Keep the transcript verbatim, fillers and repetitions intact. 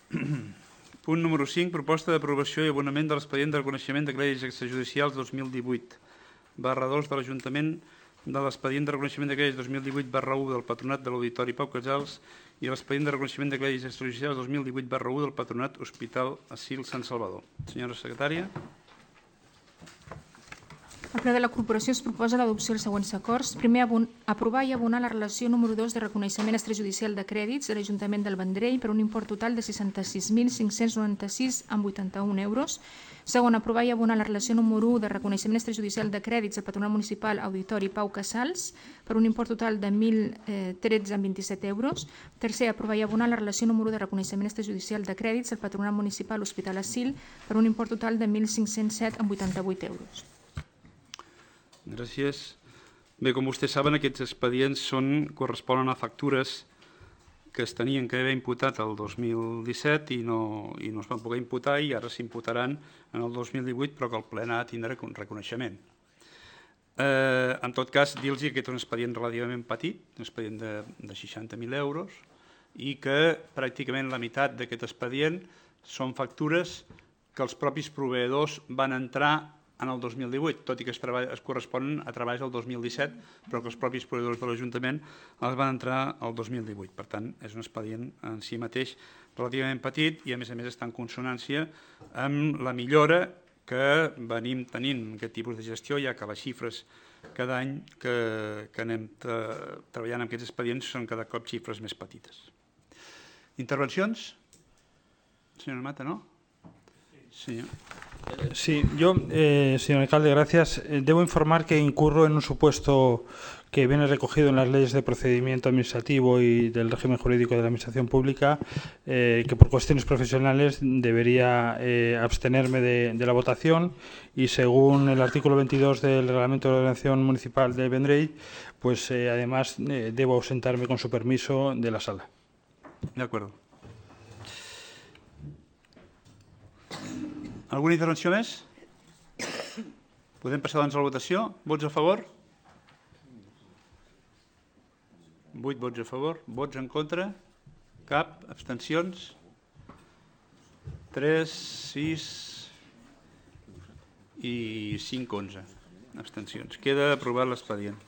Punt número cinc, proposta d'aprovació i abonament de l'expedient de reconeixement de crèdits extrajudicials dos mil divuit barra dos de l'Ajuntament, de l'expedient de reconeixement de crèdits dos mil divuit barra u del Patronat de l'Auditori Pau Casals i l'expedient de reconeixement de crèdits extrajudicials dos mil divuit barra u del Patronat Hospital Asil Sant Salvador. Senyora secretària. Al ple de la corporació es proposa l'adopció dels següents acords. Primer, aprovar i abonar la relació número dos de reconeixement extrajudicial de crèdits de l'Ajuntament del Vendrell per un import total de seixanta-sis mil cinc-cents noranta-sis coma vuitanta-un euros. Segon, aprovar i abonar la relació número u de reconeixement extrajudicial de crèdits del Patronat Municipal Auditori Pau Casals per un import total de mil tretze coma vint-i-set euros. Tercer, aprovar i abonar la relació número u de reconeixement extrajudicial de crèdits del Patronat Municipal Hospital Asil per un import total de mil cinc-cents set coma vuitanta-vuit euros. Gràcies. Bé, com vostès saben, aquests expedients són, corresponen a factures que es tenien que haver imputat el dos mil disset i no, i no es van poder imputar i ara s'imputaran en el dos mil divuit, però que el ple n'ha de tindre reconeixement. Eh, en tot cas, dir-los que aquest és un expedient relativament petit, un expedient de, de seixanta mil euros, i que pràcticament la meitat d'aquest expedient són factures que els propis proveïdors van entrar en el dos mil divuit, tot i que es, es corresponen a treballs del dos mil disset, però que els propis proveïdors de l'Ajuntament els van entrar el dos mil divuit. Per tant, és un expedient en si mateix relativament petit i, a més a més, està en consonància amb la millora que venim tenint en aquest tipus de gestió, ja que les xifres cada any que, que anem treballant en aquests expedients són cada cop xifres més petites. Intervencions? Senyora Mata, no? Senyor. Sí, yo, eh, señor alcalde, gracias. Eh, debo informar que incurro en un supuesto que viene recogido en las leyes de procedimiento administrativo y del régimen jurídico de la administración pública, eh, que por cuestiones profesionales debería eh, abstenerme de, de la votación y según el artículo veintidós del Reglamento de Ordenación Municipal de Vendrell, pues eh, además eh, debo ausentarme con su permiso de la sala. De acuerdo. Alguna intervenció més? Podem passar doncs a la votació. Vots a favor? vuit vots a favor. Vots en contra? Cap. Abstencions? tres, sis i cinc, onze. Abstencions. Queda aprovat l'expedient.